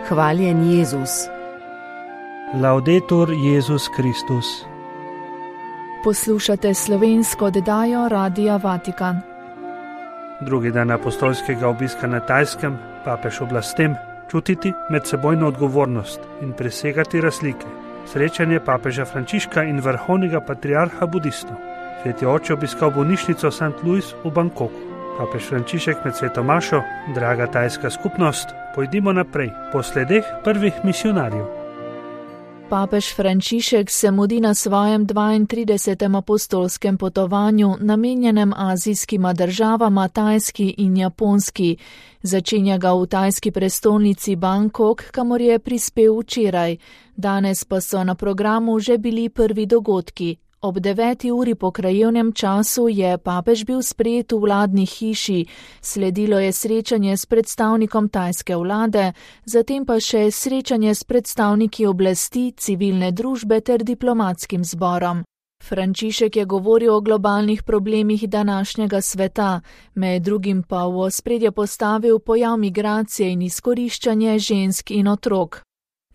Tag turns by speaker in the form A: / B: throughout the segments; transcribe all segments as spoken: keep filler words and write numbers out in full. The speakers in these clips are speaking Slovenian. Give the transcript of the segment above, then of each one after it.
A: Hvaljen Jezus.
B: Laudetur Jezus Kristus.
C: Poslušate slovensko oddajo Radia Vatikan.
B: Drugi dan apostolskega obiska na Tajskem, papež oblastem čutiti medsebojno odgovornost in presegati razlike. Srečanje papeža Frančiška in vrhovnega patriarha budistov. Sveti oče obiskal bolnišnico Sankt Louis v Bangkoku. Papež Frančišek med sveto mašo: draga tajska skupnost, pojdimo naprej po sledeh prvih misionarjev.
C: Papež Frančišek se mudi na svojem dvaintridesetem apostolskem potovanju, namenjenem azijskima državama Tajski in Japonski. Začenja ga v tajski prestolnici Bangkok, kamor je prispel včeraj. Danes pa so na programu že bili prvi dogodki. Ob deveti uri po krajevnem času je papež bil sprejet v vladni hiši, sledilo je srečanje s predstavnikom tajske vlade, zatem pa še srečanje s predstavniki oblasti, civilne družbe ter diplomatskim zborom. Frančišek je govoril o globalnih problemih današnjega sveta, med drugim pa v ospredje postavil pojav migracije in izkoriščanje žensk in otrok.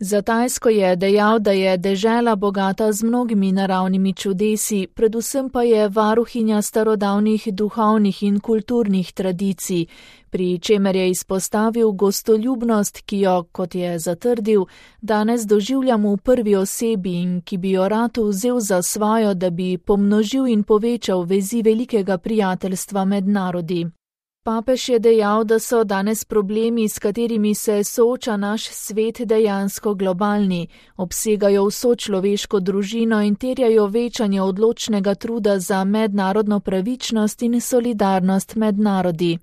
C: Za Tajsko je dejal, da je dežela bogata z mnogimi naravnimi čudesi, predvsem pa je varuhinja starodavnih duhovnih in kulturnih tradicij, pri čemer je izpostavil gostoljubnost, ki jo, kot je zatrdil, danes doživljamo v prvi osebi in ki bi jo rad vzel za svojo, da bi pomnožil in povečal vezi velikega prijateljstva med narodi. Papež je dejal, da so danes problemi, s katerimi se sooča naš svet, dejansko globalni, obsegajo vso človeško družino in terjajo večanje odločnega truda za mednarodno pravičnost in solidarnost med narodi.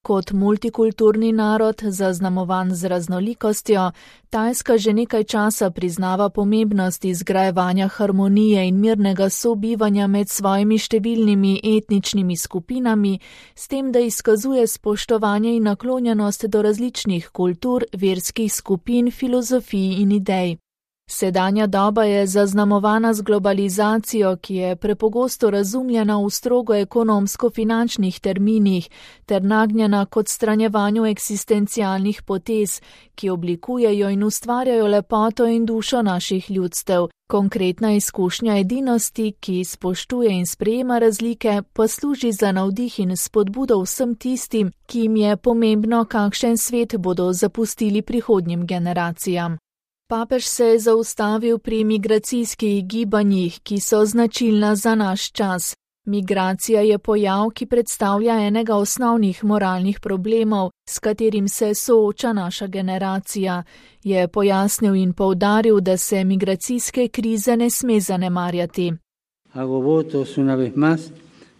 C: Kot multikulturni narod, zaznamovan z raznolikostjo, Tajska že nekaj časa priznava pomembnost izgrajevanja harmonije in mirnega sobivanja med svojimi številnimi etničnimi skupinami, s tem, da izkazuje spoštovanje in naklonjenost do različnih kultur, verskih skupin, filozofij in idej. Sedanja doba je zaznamovana z globalizacijo, ki je prepogosto razumljena v strogo ekonomsko-finančnih terminih ter nagnjena k odstranjevanju eksistencialnih potez, ki oblikujejo in ustvarjajo lepoto in dušo naših ljudstev. Konkretna izkušnja edinosti, ki spoštuje in sprejema razlike, pa služi za navdih in spodbudo vsem tistim, ki jim je pomembno, kakšen svet bodo zapustili prihodnjim generacijam. Papež se je zaustavil pri migracijskih gibanjih, ki so značilna za naš čas. Migracija je pojav, ki predstavlja enega osnovnih moralnih problemov, s katerim se sooča naša generacija, je pojasnil in poudaril, da se migracijske krize ne sme zanemarjati.
D: Hago votos una vez más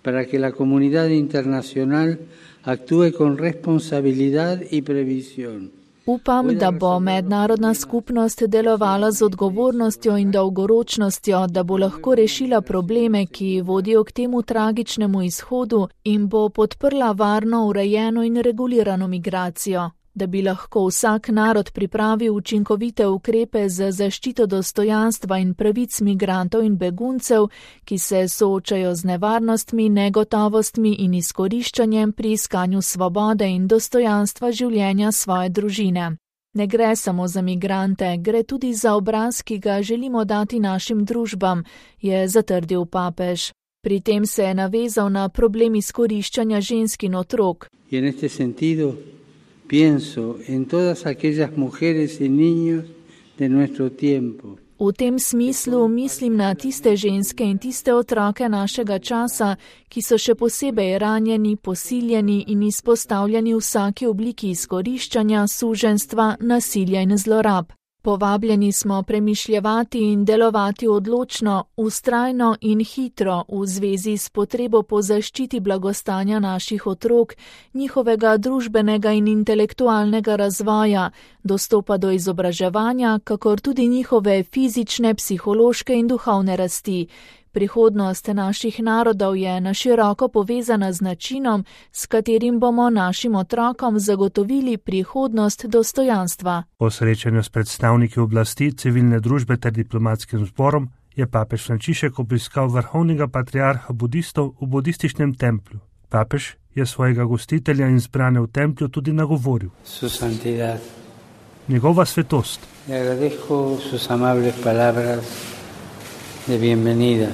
D: para que la comunidad internacional actúe con responsabilidad y previsión.
C: Upam, da bo mednarodna skupnost delovala z odgovornostjo in dolgoročnostjo, da bo lahko rešila probleme, ki vodijo k temu tragičnemu izhodu in bo podprla varno, urejeno in regulirano migracijo, da bi lahko vsak narod pripravil učinkovite ukrepe za zaščito dostojanstva in pravic migrantov in beguncev, ki se soočajo z nevarnostmi, negotovostmi in izkoriščanjem pri iskanju svobode in dostojanstva življenja svoje družine. Ne gre samo za migrante, gre tudi za obraz, ki ga želimo dati našim družbam, je zatrdil papež. Pri tem se je navezal na problem izkoriščanja žensk in otrok.
D: In v tem sentido pienso en todas aquellas mujeres y niños de nuestro tiempo.
C: V tem smislu mislim na tiste ženske in tiste otroke našega časa, ki so še posebej ranjeni, posiljeni in izpostavljeni vsaki obliki izkoriščanja, suženjstva, nasilja in zlorab. Povabljeni smo premišljevati in delovati odločno, vztrajno in hitro v zvezi s potrebo po zaščiti blagostanja naših otrok, njihovega družbenega in intelektualnega razvoja, dostopa do izobraževanja, kakor tudi njihove fizične, psihološke in duhovne rasti. Prihodnost naših narodov je na široko povezana z načinom, s katerim bomo našim otrokom zagotovili prihodnost dostojanstva.
B: Po srečanju s predstavniki oblasti, civilne družbe ter diplomatskim zborom je papež Frančišek obiskal vrhovnega patriarha budistov v budističnem templju. Papež je svojega gostitelja in zbrane v templju tudi nagovoril.
D: Su santidad,
B: Njegova svetost.
D: Le agradezco sus amables palabras de bienvenida.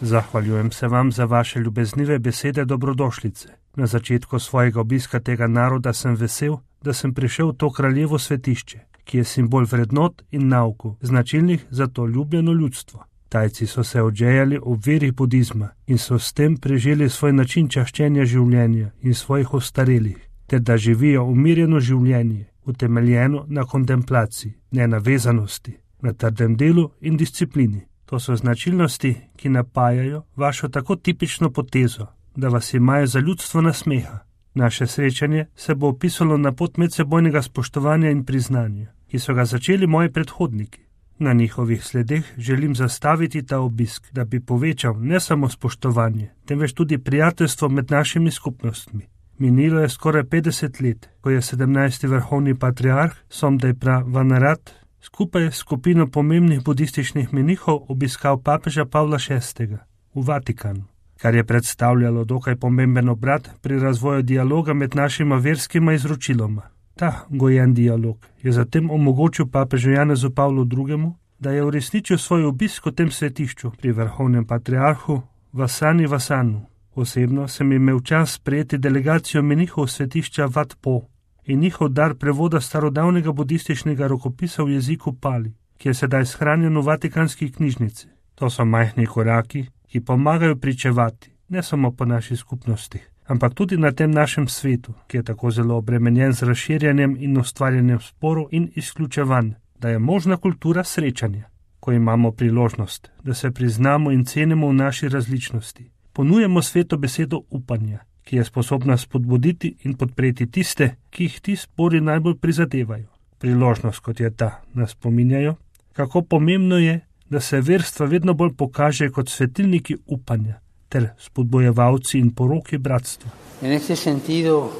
B: Zahvaljujem se vam za vaše ljubeznive besede dobrodošlice. Na začetku svojega obiska tega naroda sem vesel, da sem prišel v to kraljevo svetišče, ki je simbol vrednot in naukov, značilnih za to ljubljeno ljudstvo. Tajci so se odžejali ob veri budizma in so s tem preželi svoj način čaščenja življenja in svojih ostarelih, ter da živijo umirjeno življenje, utemeljeno na kontemplaciji, nenavezanosti, na trdem delu in disciplini. To so značilnosti, ki napajajo vašo tako tipično potezo, da vas imajo za ljudstvo nasmeha. Naše srečanje se bo opisalo na pot medsebojnega spoštovanja in priznanja, ki so ga začeli moji predhodniki. Na njihovih sledeh želim zastaviti ta obisk, da bi povečal ne samo spoštovanje, temveč tudi prijateljstvo med našimi skupnostmi. Minilo je skoraj petdeset let, ko je sedemnajsti vrhovni patriarh Somdejpra Vanarat skupaj s skupino pomembnih budističnih menihov obiskal papeža Pavla šestega v Vatikanu, kar je predstavljalo dokaj pomemben obrat pri razvoju dialoga med našima verskima izročiloma. Ta gojen dialog je zatem omogočil papežu Janezu Pavlu drugemu, da je uresničil svoj obisk v tem svetišču pri vrhovnem patriarhu Vasani Vasanu. Osebno sem imel čas sprejeti delegacijo menihov svetišča Wat Po in njihov dar prevoda starodavnega budističnega rokopisa v jeziku Pali, ki je sedaj shranjen v Vatikanski knjižnici. To so majhni koraki, ki pomagajo pričevati, ne samo po naši skupnosti, ampak tudi na tem našem svetu, ki je tako zelo obremenjen z razširjanjem in ustvarjanjem sporov in izključevanj, da je možna kultura srečanja, ko imamo priložnost, da se priznamo in cenimo v naši različnosti. Ponujemo svetu besedo upanja, ki je sposobna spodbuditi in podpreti tiste, ki jih ti spori najbolj prizadevajo. Priložnost, kot je ta, nas spominjajo, kako pomembno je, da se verstva vedno bolj pokaže kot svetilniki upanja ter spodbojevalci in poroki bratstva.
D: En ese sentido,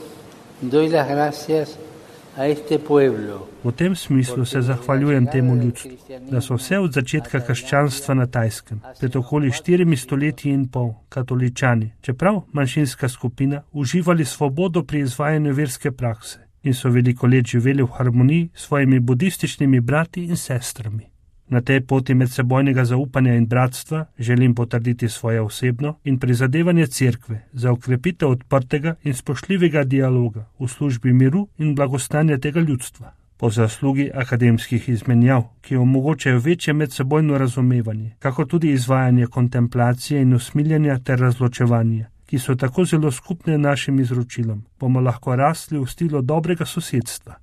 D: doy las gracias a este pueblo.
B: V tem smislu se zahvaljujem temu ljudstvu, da so vse od začetka krščanstva na Tajskem, pred okoli štirimi stoletji in pol, katoličani, čeprav manjšinska skupina, uživali svobodo pri izvajanju verske prakse in so veliko let živeli v harmoniji s svojimi budističnimi brati in sestrami. Na tej poti medsebojnega zaupanja in bratstva želim potrditi svoje osebno in prizadevanje cerkve za okrepitev odprtega in spoštljivega dialoga v službi miru in blagostanja tega ljudstva. Po zaslugi akademskih izmenjav, ki omogočajo večje medsebojno razumevanje, kako tudi izvajanje kontemplacije in usmiljanja ter razločevanja, ki so tako zelo skupne našim izročilom, bomo lahko rasli v stilu dobrega sosedstva.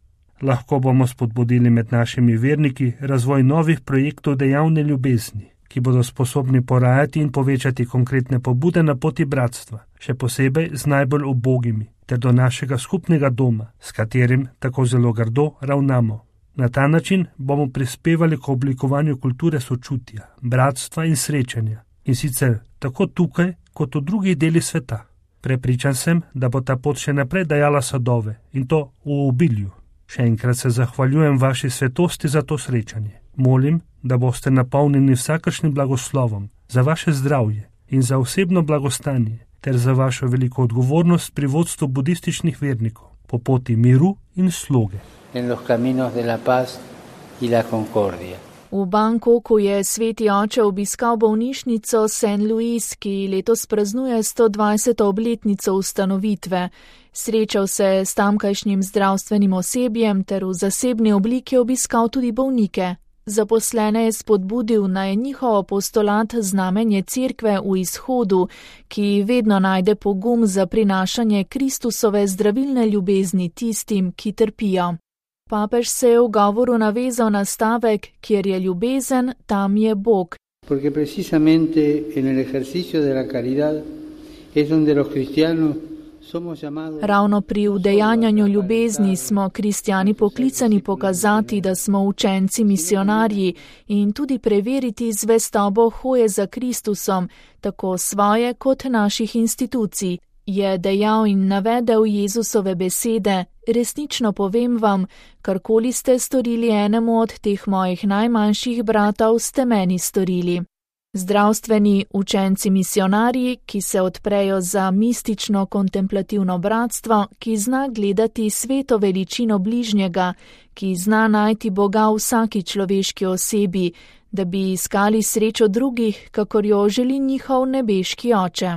B: Lahko bomo spodbudili med našimi verniki razvoj novih projektov dejavne ljubezni, ki bodo sposobni porajati in povečati konkretne pobude na poti bratstva, še posebej z najbolj ubogimi, ter do našega skupnega doma, s katerim tako zelo grdo ravnamo. Na ta način bomo prispevali k oblikovanju kulture sočutja, bratstva in srečanja, in sicer tako tukaj, kot v drugih delih sveta. Prepričan sem, da bo ta pot še naprej dajala sadove, in to v obilju. Še enkrat se zahvaljujem vaši svetosti za to srečanje. Molim, da boste napolnjeni vsakršnim blagoslovom za vaše zdravje in za osebno blagostanje ter za vašo veliko odgovornost pri vodstvu budističnih vernikov po poti miru in sloge.
D: En los caminos de la paz y la concordia.
C: V Bangkoku je sveti oče obiskal bolnišnico Saint Louis, ki letos praznuje sto dvajseto obletnico ustanovitve. Srečal se s tamkajšnjim zdravstvenim osebjem ter v zasebni obliki obiskal tudi bolnike. Zaposlene je spodbudil, naj njihov apostolat znamenje cerkve v izhodu, ki vedno najde pogum za prinašanje Kristusove zdravilne ljubezni tistim, ki trpijo. Papež se je v govoru navezal na stavek, kjer je ljubezen, tam je Bog.
D: Porque precisamente en el ejercicio de la caridad es donde los cristianos somos llamados.
C: Ravno pri udejanjanju ljubezni smo kristjani poklicani pokazati, da smo učenci misionarji in tudi preveriti zvestobo hoje za Kristusom, tako svoje kot naših institucij. Je dejal in navedel Jezusove besede, resnično povem vam, karkoli ste storili enemu od teh mojih najmanjših bratov, ste meni storili. Zdravstveni učenci misionarji, ki se odprejo za mistično kontemplativno bratstvo, ki zna gledati sveto veličino bližnjega, ki zna najti Boga v vsaki človeški osebi, da bi iskali srečo drugih, kakor jo želi njihov nebeški Oče.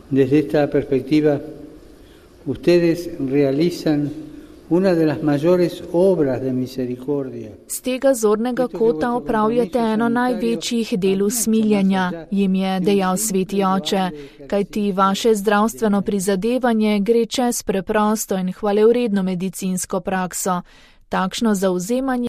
D: Desde esta perspectiva, ustedes realizan una de las mayores obras de misericordia.
C: Z tega zornega kota opravljate eno največjih del usmiljenja, jim je dejal sveti Oče, kajti vaše zdravstveno prizadevanje gre čez preprosto in hvalevredno medicinsko prakso. Takšno zavzemanje